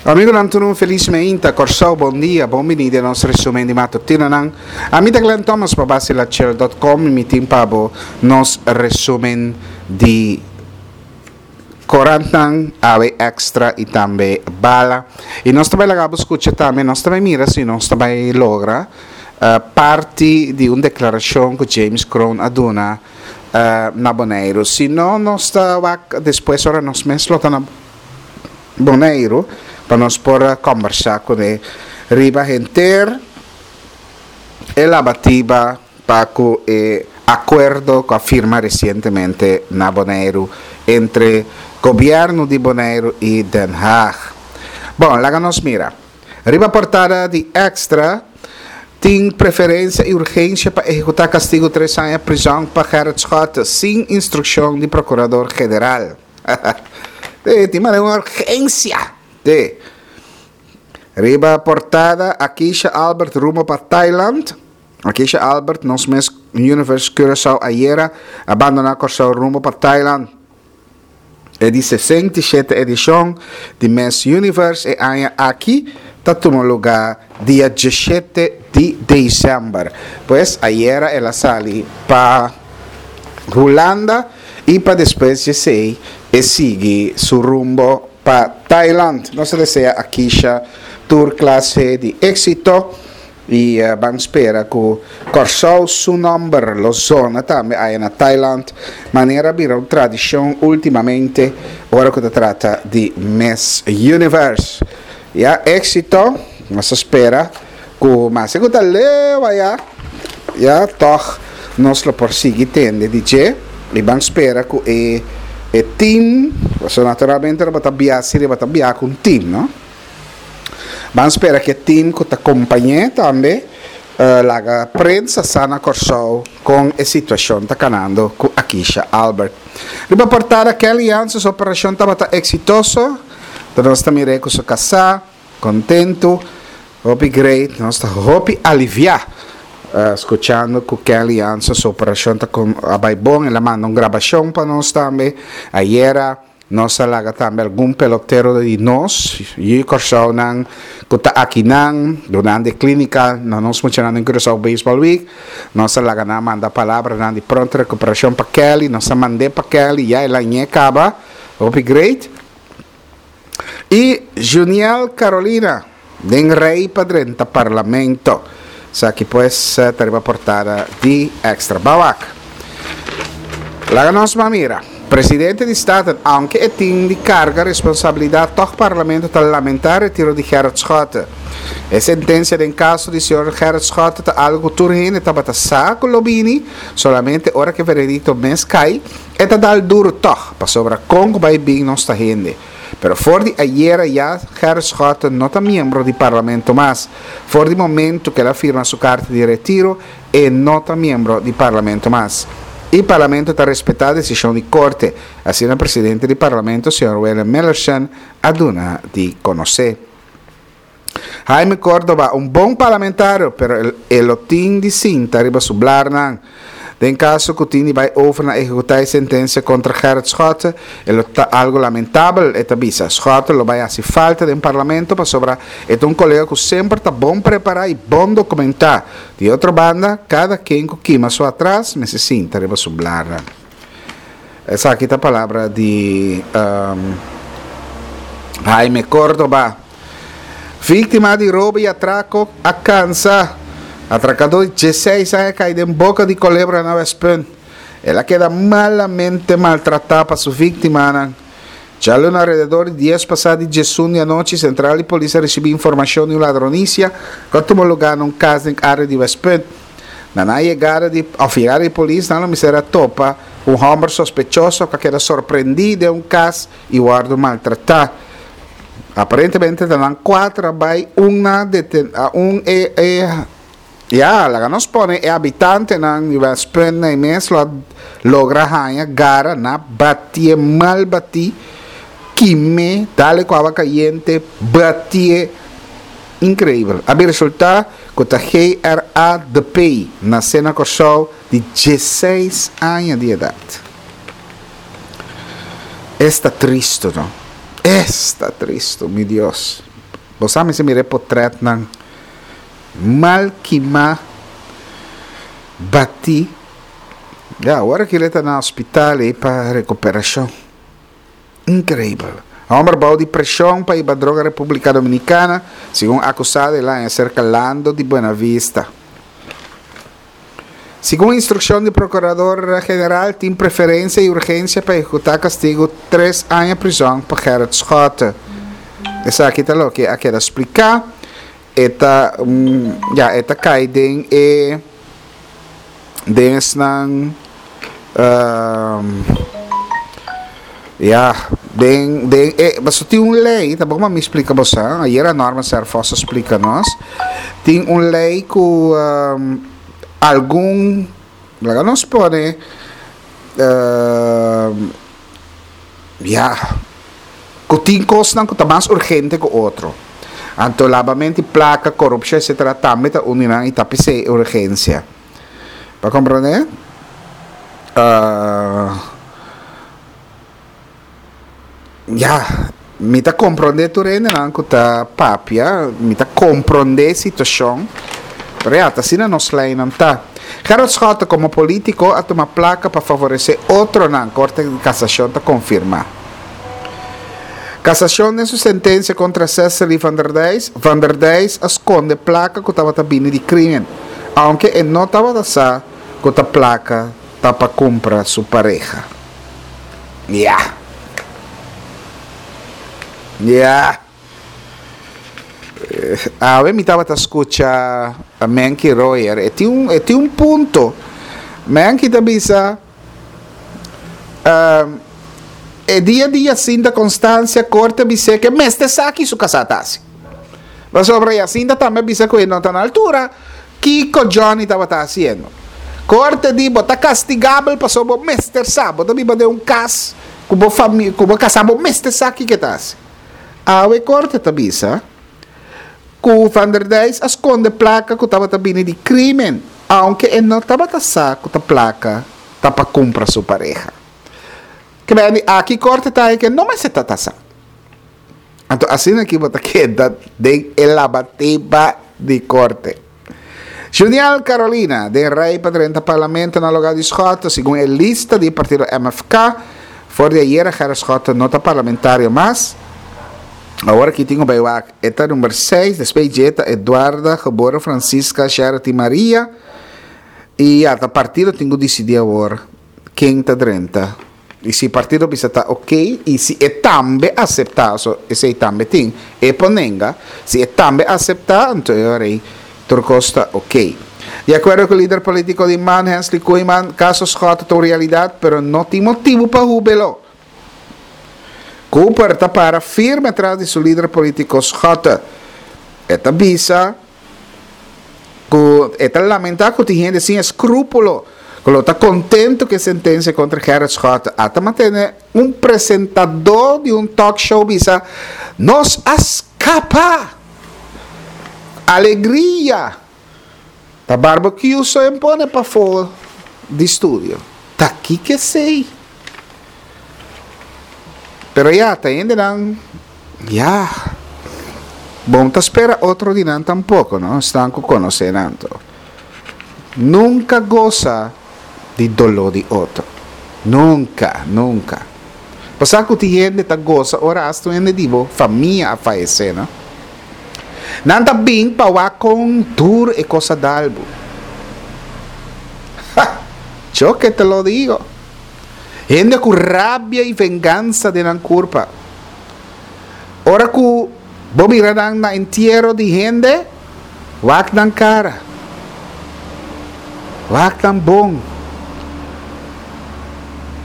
Amigonan tur un felis meinta, Kòrsou bon dia, bon bini den nos resumen di matutinonan. Ami ta Glenn Thomas pa Basilachel dot com i mi tin pa bo nos resumen di korantnan, awe extra i tambe bala. I nos ta bai laga bo skucha tambe, nos ta bai mira si nos ta bai logra parti di un deklarashon ku James Kroon a duna na Boneiru. Si no nos ta wak despues ora nos mes lo ta na Boneiru pa nos por a kombersá kuné riba henter e labatiba pa ku e akuerdo ku a firma resientemente na Boneiru entre gobièrnu di Boneiru i Den Haag. Bon, laga nos mira. Riba portada di Extra tin preferensia i urgensia pa ehekutá kastigu tres aña prizòn pa Gerrit Schotte sin instrukshon di Prokurador General. Te, tin manera un urgencia. Te. Riba portada, Akisha Albert rumbo pa Thailand. Akisha Albert, nos mes Universe Curaçao ayera, a bandona Kòrsou rumbo pa Thailand. E di 67 edishon di Miss Universe e aña aki ta tuma lugá dia 17 di desèmber. Pues ayera el a sali pa Hulanda i pa despues di esei e sigui su rumbo pa Thailand. Nos ta desea Akisha tur klase di éksito i ban spera ku Kòrsou su nòmber lo zona tambe aya na Thailand manera a bira un tradishon últimamente ora ku ta trata di Miss Universe. Ya éksito, nos ta spera. Ku maske ku ta leu aya, ya tòg nos lo por sigui tende di dje i ban spera ku e e team, pasobra naturalmente lo bo ta bia si riba ta bia ku un team, no? Ban spera ku e team ku ta kompañ'é tambe laga prensa sa na Kòrsou kon e situashon ta kanando ku Akisha Albert. Riba portada Kelly Jansen su operashon tabata eksitoso, ta nos ta mir'é ku su kasá. Kontentu, hopi great, nos ta hopi aliviá skuchando ku Kelly Jansen su operashon ta a bai bon, el a manda un grabashon pa nos tambe. Ayera nos a laga tambe algun pelotero di nos yu Kòrsounan ku ta akinan durante e klínika na nos muchanan den Curaçao Baseball Week. Nos a laga nan manda palabranan di pronto rekuperashon pa Kelly, nos a mand'é pa Kelly, ya el a ñe kaba, hopi great. I Juniel Carolina den rei pa drenta Parlamento. Esaki pues ta riba portada di Extra. Bawak. Laga nos ban mira. Presidente di Staten, aunke e tin di carga responsabilidad, toch Parlamento ta lamenta retiro di Gerrit Schotte. E sentencia den caso di señor Gerrit Schotte ta algo cu tur hende tabata sa cu lo bini, solamente ora cu e veredicto mes cay, E ta dal duru tòg, pasobra kon ku bai bin nos ta hende. Pero for di ayera ya Gerrit Schotten no ta miembro di Parlamento mas. For di momentu ku el a firma su karta di retiro, e no ta miembro di Parlamento mas. I Parlamento ta respetá desishon di Korte, asina presidente di Parlamento señor Willem Millerson a duna di konosé. Jaime Cordoba, un bon parlamentario, pero e lo tin di sinta riba su blarnan. Den caso cu tin di bay over na ehecuta e sentencia contra Gerrit Schotte, e lo ta algo lamentabel, e ta bisa. Schotte lo bay haci falta den parlamento pasobra e ta un colega cu semper ta bon prepara y bon documenta. Di otro banda, cada ken cu kima su atras mester sinta riba su blarnan. Esaki ta palabra di Jaime Cordoba. Víktima di robo i atrako a kansa. Atrakadó di dieseis aña kai den boka di kolebra na Westpunt. El a keda malamente maltratá pa su víktimanan. Djaluna alrededor di dies pasá di diesun di anochi, sentral di polis a risibí informashon di un ladronisia ku a tuma lugá na un kas den área di Westpunt. Na nan yegada di òf yegada di polis, nan lo mester a topa un hòmber sospechoso ku a keda sorprendí den un kas i wòrdu maltratá. Aparentemente ta nan cuater a bay un na deten a un e e ya laga nos pone e habitantenan di Westpunt na e mes lo a logra haña gara na batié mal batí kimé dale cu awa cayente batié increibel a bin resulta cu ta GRADP nace na Corsou di dieseis aña di edad. Esta tristo no. Esta tristo, mi Dios. Bo sa mester mira e potretnan mal kimá, batí. Ya, awor aki el ta na hospital ei pa rekuperashon. Increibel. Homber bou di presion pa hiba droga Republica Dominicana, segun acusado el a haña cerca Lando di Buena Vista. Segun instruccion di Procurador General tin preferencia y urgencia pa ehecuta castigo tres aña prison pa Gerrit Schotte. Esaki ta loke a keda splica. E ta, ya, e ta cay den e, den esnan, ya, den, den e, pasobra tin un ley, ta bon pa mi splica boso, ayera Norman Serphos a splica nos, tin un ley cu algun, laga nos pone, Ya, ku tin kosnan ku ta mas urgente ku otro. Anto labamento di plaka, korupshon etsetera tambe ta un di nan i ta p'esei e urgensia. Bo a komprondé? Ya, mi ta komprondé tur hendenan ku ta papia, mi ta komprondé e situashon, pero ya, ta asina nos leinan ta. Gerrit Schotte komo polítiko a tuma plaka pa favoresé otronan, Korte di Kasashon ta konfirmá. Kasashon den su sentensia kontra Cecily van der Dijs, Van der Dijs a skonde plaka ku tabata bini di krímen, ounke e no tabata sa ku ta plaka ta pa kumpra su pareha. Ya. Ya. Awe mi tabata skucha Menki Royer, e tin un, e tin un punto. Menki ta bisa, e dia di Jacinta Constancia korte a bis'é ke mester sa ki su kasá ta hasi. Pasobra Jacinta tambe a bisa ku e no ta na altura kiko Johnny tabata hasiendo. Korte di bo ta kastigabel pasobra bo mester sa, bo ta biba den un kas ku bo famia, ku bo kasá, bo mester sa kiko e ta hasi. Awe korte ta bisa ku Van der Dijs a skonde plaka ku tabata bini di krimen, aunke e no tabata sa ku ta plaka ta pa kumpra su pareha. Kibèndi aki korte ta haña ke no mester ta ta sa. Anto asina aki bo ta keda den e labateba di korte. Juniel Carolina den rei pa drenta parlamento na lugar di Schotte, segun e lista di partido MFK. For di ayera Gerrit Schotte no ta parlamentario mas. Awor aki tin ku bai wak e ta number seis, despues dje ta Eduarda, Geboren Francisca, Sherity Maria. I ya ta partido tin ku disidí awor ken ta drenta. I si partido bisa ta ok i si e tambe aseptá, so esei tambe tin, e por nenga, si e tambe aseptá anto e ora ei tur kos ta ok. Di akuerdo ku lider polítiko di man, Hensley Koeiman, kaso Schotte ta un realidat pero no tin motibu pa hubelo. Cooper ta para firme tras di su lider polítiko Schotte. E ta bisa. Ku e ta lamentá ku tin hende sin eskrúpulo ku lo ta kontentu ku e sentensia kontra Gerrit Schotte. A ta mantene un presentadó di un talk show bisa, Nos a skapa! Alegria! Ta barbecue so en pone pafó di studio. Ta kiko esei? Pero ya, ta hendenan, ya, bo no ta spera otro di nan tampoco, no? Esnan cu conoce nan to. Nunca goza di dolor di otro. Nunca, nunca. Bo sa cu tin hende ta goza ora hasta un hende di bo famia a fayece, no? Nan ta bin pa wak con duro e cos a dal bo. Ha! Yo que te lo digo. Hende ku rabia i vengansa den nan kurpa. Ora ku bo mira nan na entiero di hende, wak nan kara. Wak nan bon.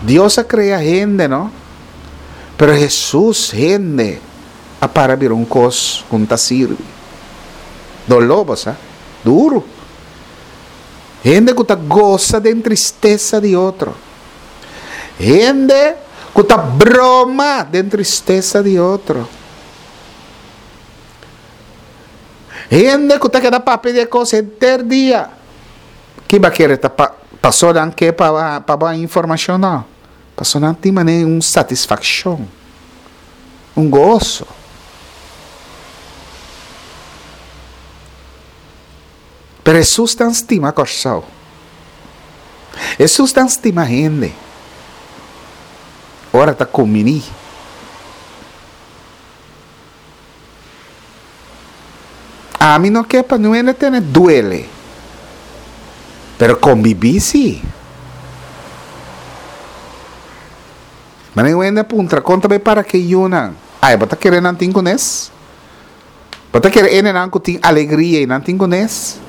Dios a krea hende, no? Pero Hesus, hende, a para bira un kos ku no ta sirbi. Doló bo sa. Duru. Hende ku ta gosa den tristesa di otro. Hende ku ta broma den tristesa di otro. Hende ku ta keda papia di e kos henter dia. Kiba kere ta pa paso nan ke pa pa bo haña informashon? No. Paso nan tin manera un satisfakshon, un goso. Pero Hesus tan stima Kòrsou. Hesus tan stima hende. Ora ta kumbiní. Ami no ke pa niun hende tene duele. Pero kombibí sí. Mane un hende a puntra, kon ta bai para ke yunan? Ai, bo ta kere nan tin kunes? Bo ta kere hendenan ku tin alegria i nan tin kunes?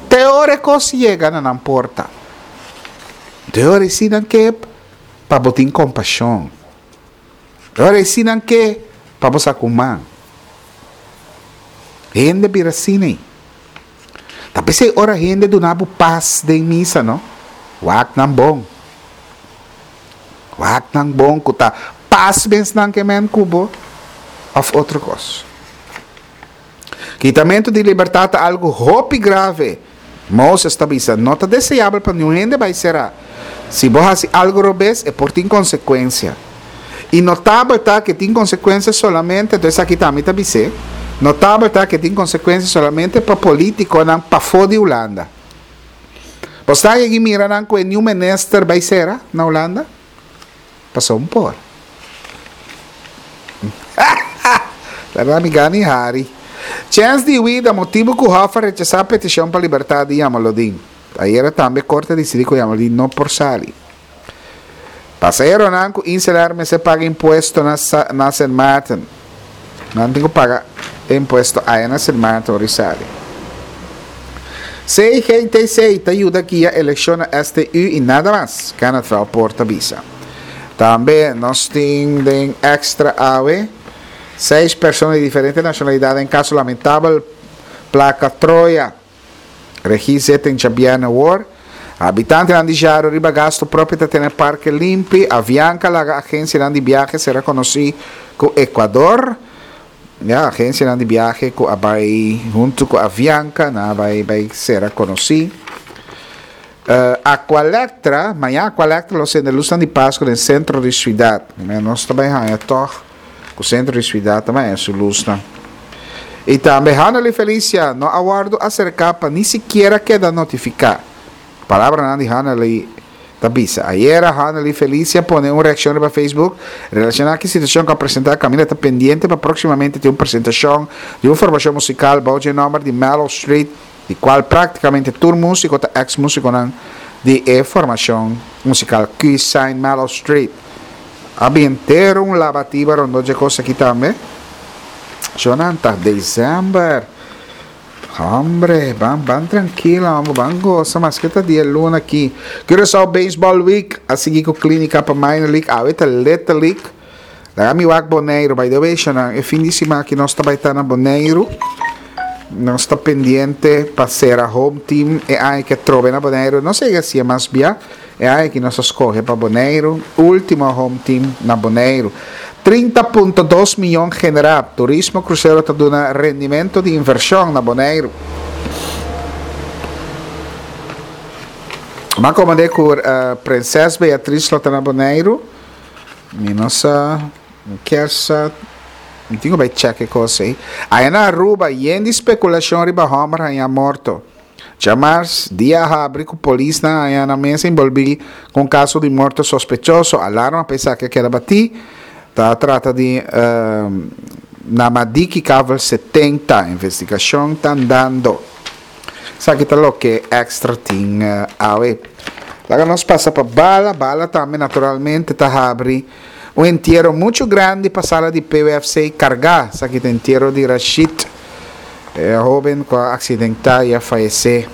Te ora e kos yega na nan porta. Te ora e si nan ke pa bo tin kompashon. Te ora e si nan ke pa bo sa ku man. Hende bira asina ei. Ta p'esei ora hende duna bo pas den misa no, wak nan bon. Wak nan bon ku ta pas mens nan ke men ku bo òf otro kos. Kitamentu di libertat ta algu hopi grave. Moses ta bisa, no ta deseabel pa niun hende bai será. Si bo hasi algu robes, e por tin konsekuensia. I notabel ta ku e tin konsekuensia solamente, anto esaki tambe ta bis'é, notabel ta ku e tin konsekuensia solamente pa polítikonan pafó di Hulanda. Bo sta yegi mira nan ku e niun minister bai sera na Hulanda? Pasobra un por. Laga mi gana i hari. Chèns di huida motibu ku Hof a rechasá petishon pa libertat di Jamaludin. Ayera tambe korte a disidí ku Jamaludin no por sali. Pasaheronan ku Inselair mester paga impuesto na na Sint Maarten. Nan tin ku paga e impuesto aya na Sint Maarten ora i sali. CGTC ta yuda guia elekshon na STU i nada mas, Kenneth Velpoort ta bisa. Tambe nos tin den extra awe seis persona di diferente nashonalidat den kaso lamentabel Plaka Troya. Regie zitten djabièrnè awor. Habitantenan di Jaro riba gastu propio ta tene parke limpi. Avianca laga agensianan di biahe sera konosí ku Ecuador. Ya, agensianan di biahe ku a bai huntu ku Avianca nan a bai bai sera konosí. Aqualectra, mañan Aqualectra lo sende lusnan di Pasku den sentro di suidat. Nos ta bai haña tòg. Ku sentro di suidat ta maya su lusnan. I tambe Hanely Felicia no a wòrdu aserká pa ni sikiera keda notifiká. Palabranan di Hanely ta bisa. Ayera Hanely Felicia pone un reakshon riba Facebook relashoná ku e situashon ku a presentá kaminda ta pendiente pa próksimamente tin un presentashon di un formashon musikal bou dje nòmber di Mellow Street di kual práktikamente tur músiko ta eks músikonan di e formashon musikal Q-Sign Mellow Street. A bin henter un labatiba rondó dje kos aki tambe. Shonan ta december. Hombre, ban ban trankilo hombre, ban gosa maske ta dia luna aki. Curaçao Baseball Week a sigui ku klinika pa Minor League, awe ta Little League. Laga mi wak Boneiru, by the way shonan, e fin di siman aki nos ta bai ta na Boneiru. Nos ta pendiente pa sera home team e aña ke atrobe na Boneiru. No sega si e mas bia. E aña aki nos a skohe pa Boneiru, último home team na Boneiru. 30.2 miyon generá, turismo krusero ta duna rendimento di invershon na Boneiru. M'a komand'é ku Prinses Beatriz lo ta na Boneiru. Mi no sa, mi kier sa, mi tin ku bai chèk e kos ei. Aya na Aruba, yen di spekulashon riba hòmber hañá morto. Djamars, dia a habri ku polisnan a haña nan mes enbolbí ku un kaso di morto sospechoso. Alarma pa esaki a keda batí. Ta trata di na Madiki Kavel 70. Investigashon ta andando. Esaki ta loke Extra tin awe. Laga nos pasa pa Bala. Bala tambe naturalmente ta habri un entiero muchu grandi pa sala di PWFC kargá. Esaki ta entiero di Rashid. E hoben cu a accidenta y a fayece.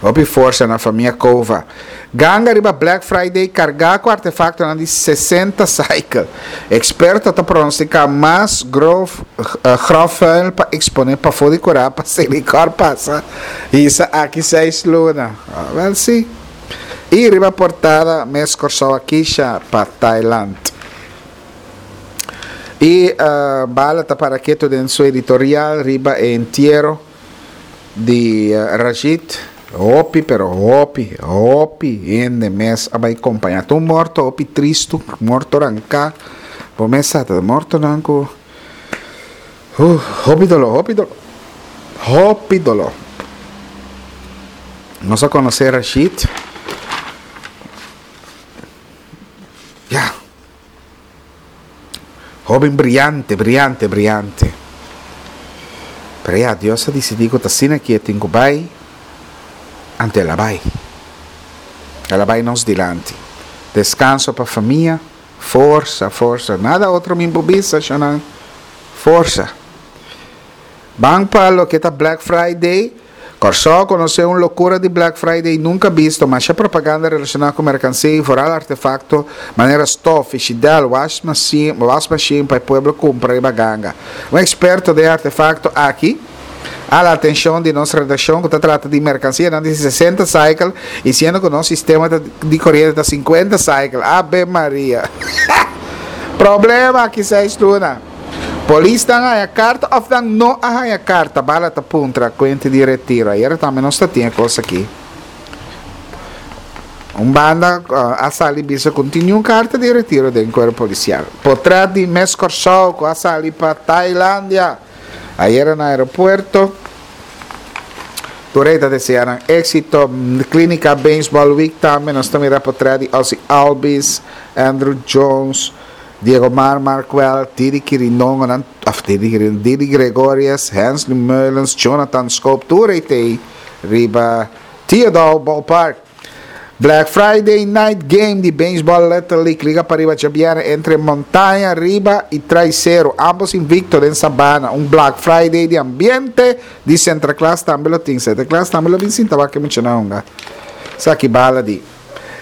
Hopi forsa na famia Cova. Ganga riba Black Friday carga cu artefactonan di 60 cycle. Experto ta pronostica mas grof grofvuil pa expone pafo di cura pa Selikor pasa hisa aki seis luna. Wel si. Y riba portada mes Corsou a kisha pa Thailand. Y Bala ta para keto den su editorial riba e entiero di Rashid. Hopi, pero hopi, hopi hende mes a bay compaña. Ta un morto hopi tristo, morto ranca. Bo mes sa, ta mortonan cu hopi dolor, hopi dolor. Hopi doló. Nos a konosé Rashid. Ya. Hoben briante, briante, briante. Pero ya, Dios a disidí ku ta asina ki e tin ku bai, anto el a bai. El a bai nos dilanti. Deskanso pa famia, forsa, forsa. Nada otro mi por bisa, shonnan. Forsa. Ban pa loke ta Black Friday. Kòrsou a konosé un lokura di Black Friday nunka bisto. Masha propaganda relashoná ku merkansia i foral artefakto manera stof, fishidèl, wash machine pa e pueblo kumpra riba ganga. Un eksperto den e artefakto aki a la atenshon di nos redakshon ku ta trata di merkansianan di sesenta cycle i siendo ku nos sistema di koriente ta sinkuenta cycle. Abe Maria! Problema aki seis luna. Polisnan a haña karta òf nan no a haña karta? Bala ta puntra kuente di retiro. Ayera tambe nos ta tin e kos aki. Un banda a sali bisa ku no tin niun karta di retiro den kuerpo polisial. Potret di Miss Kòrsou ku a sali pa Tailandia ayera na aeropuerto. Tur ei ta desea nan éksito. Klínika Baseball Week tambe nos ta mira potret di Ozzie Albies, Andruw Jones. Diego Mar Markwell, Didi Kirindongo nan, of Didi Kirindongo, Didi Gregorius, Hensley Meulens, Jonathan Schoop, tur ei t'ei riba Theodore Ballpark. Black Friday Night Game di Baseball Little League Liga Pariba djabièrnè entre Montaña Riba i Traiceru, ambos invicto den Sabana. Un Black Friday di ambiente di Sinterklaas tambe lo tin. Sinterklaas tambe lo bin sinta wak e muchanan hunga. Esaki bala di.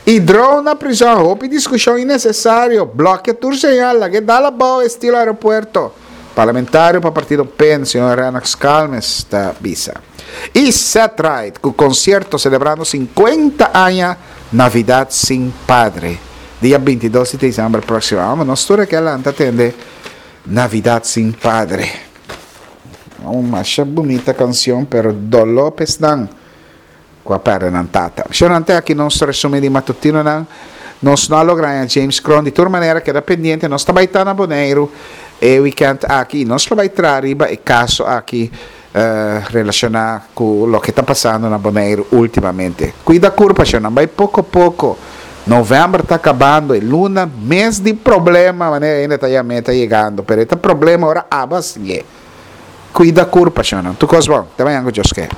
Y drone na prison, hopi discusion innecesario, blokia tur señal, lag'e dal abao estilo aeropuerto. Parlamentario pa partido pen, señor Rennox Calmes ta bisa. Y Set Right cu concierto celebrando 50 aña Navidad sin Padre. Dia 22 di december proximo. Amo nos tur a ke lanta tende Navidad sin Padre. Un masha bunita cancion pero dolor p'esnan. Ku a pèrdè nan tata. Shornan te aki nos resumí di matutinonan. Nos no a logra haña James Kroon. Di tur manera keda pendiente. Nos ta bai ta na Boneiru e wikènt aki i nos lo bai traha riba e kaso aki relashoná ku loke ta pasando na Boneiru últimamente. Kuida kurpa shornan. Bai poko poko. Novèmber ta kabando. E luna mes di problema manera hende ta yam'é ta yegando. Pero e ta problema ora abo a siñ'é. Kuida kurpa shornan. Tur kos bon. Te mañan ku Dios ke.